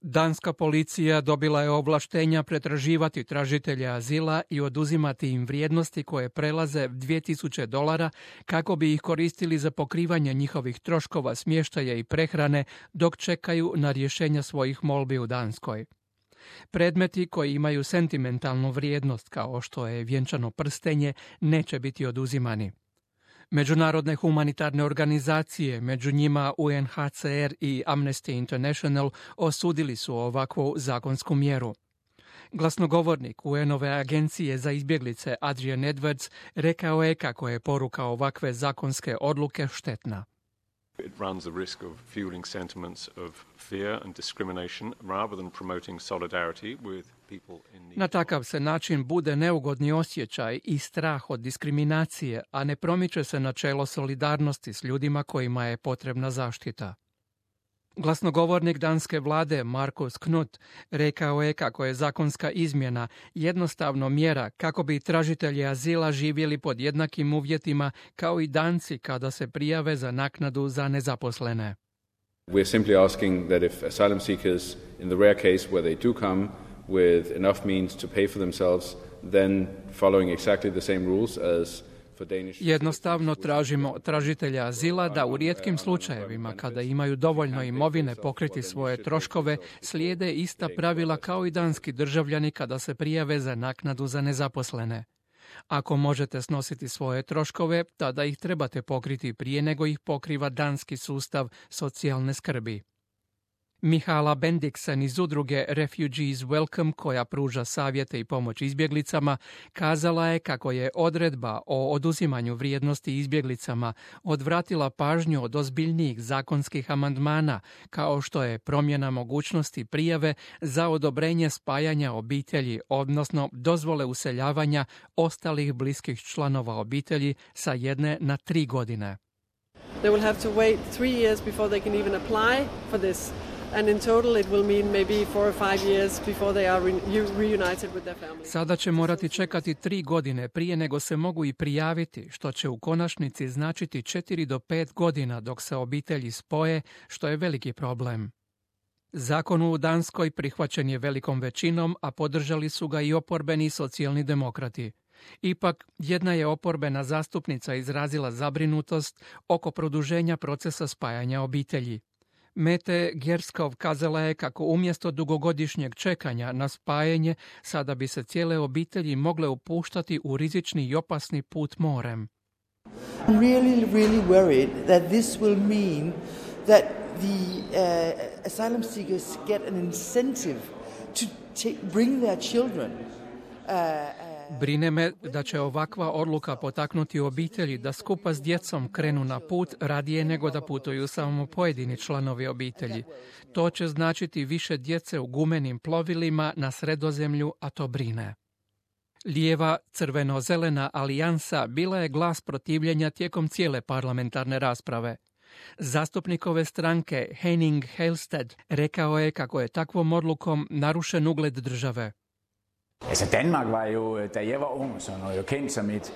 Danska policija dobila je ovlaštenja pretraživati tražitelje azila i oduzimati im vrijednosti koje prelaze $2000 kako bi ih koristili za pokrivanje njihovih troškova smještaja i prehrane dok čekaju na rješenja svojih molbi u Danskoj. Predmeti koji imaju sentimentalnu vrijednost kao što je vjenčano prstenje neće biti oduzimani. Međunarodne humanitarne organizacije, među njima UNHCR i Amnesty International, osudili su ovakvu zakonsku mjeru. Glasnogovornik UN-ove agencije za izbjeglice Adrian Edwards rekao je kako je poruka ovakve zakonske odluke štetna. It runs the risk of fueling sentiments of fear and discrimination rather than promoting solidarity with people in need. Na takav se način bude neugodni osjećaj i strah od diskriminacije, a ne promiče se načelo solidarnosti s ljudima kojima je potrebna zaštita. Glasnogovornik danske vlade Markus Knuth rekao je kako je zakonska izmjena jednostavno mjera kako bi tražitelji azila živjeli pod jednakim uvjetima kao i Danci kada se prijave za naknadu za nezaposlene. We're simply asking that if asylum seekers, in the rare case where they do come with enough means to pay for themselves, then following exactly the same rules as Jednostavno tražimo tražitelja azila da u rijetkim slučajevima, kada imaju dovoljno imovine pokriti svoje troškove, slijede ista pravila kao i danski državljani kada se prijave za naknadu za nezaposlene. Ako možete snositi svoje troškove, tada ih trebate pokriti prije nego ih pokriva danski sustav socijalne skrbi. Mihala Bendiksen iz udruge Refugees Welcome, koja pruža savjete i pomoć izbjeglicama, kazala je kako je odredba o oduzimanju vrijednosti izbjeglicama odvratila pažnju od ozbiljnijih zakonskih amandmana, kao što je promjena mogućnosti prijave za odobrenje spajanja obitelji, odnosno dozvole useljavanja ostalih bliskih članova obitelji sa 1 na 3 godine. They will have to wait 3 years before they can even apply for this. And in total it will mean maybe 4 or 5 years before they are reunited with their families. Sada će morati čekati 3 godine prije nego se mogu i prijaviti, što će u konačnici značiti 4 do 5 godina dok se obitelji spoje, što je veliki problem. Zakon u Danskoj prihvaćen je velikom većinom, a podržali su ga i oporbeni socijalni demokrati. Ipak, jedna je oporbena zastupnica izrazila zabrinutost oko produženja procesa spajanja obitelji. Mette Gjerskov kazala je kako umjesto dugogodišnjeg čekanja na spajanje, sada bi se cijele obitelji mogle upuštati u rizični i opasni put morem. I'm really worried that this will mean that the asylum seekers get an incentive to bring their children. Brine me da će ovakva odluka potaknuti obitelji da skupa s djecom krenu na put radije nego da putuju samo pojedini članovi obitelji. To će značiti više djece u gumenim plovilima na Sredozemlju, a to brine. Lijeva crveno-zelena alijansa bila je glas protivljenja tijekom cijele parlamentarne rasprave. Zastupnikove stranke Henning Helsted rekao je kako je takvom odlukom narušen ugled države. Danmark var jo, da jeg var ung, så jo kendt som et...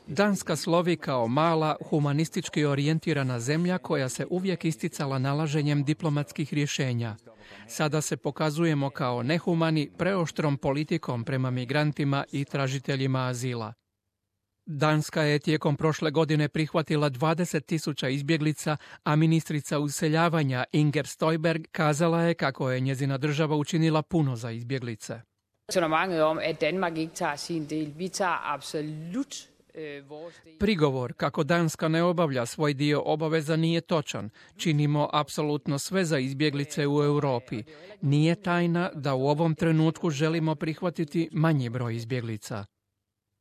Danska slovi kao mala, humanistički orijentirana zemlja koja se uvijek isticala nalaženjem diplomatskih rješenja. Sada se pokazujemo kao nehumani, preoštrom politikom prema migrantima i tražiteljima azila. Danska je tijekom prošle godine prihvatila 20.000 izbjeglica, a ministrica useljavanja Inger Støjberg kazala je kako je njezina država učinila puno za izbjeglice. Prigovor kako Danska ne obavlja svoj dio obaveza nije točan. Činimo apsolutno sve za izbjeglice u Europi. Nije tajna da u ovom trenutku želimo prihvatiti manji broj izbjeglica.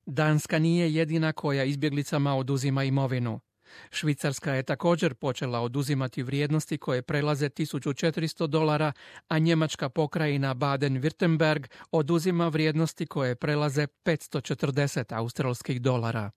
Danska nije jedina koja izbjeglicama oduzima imovinu. Švicarska je također počela oduzimati vrijednosti koje prelaze $1.400, a njemačka pokrajina Baden-Württemberg oduzima vrijednosti koje prelaze $540.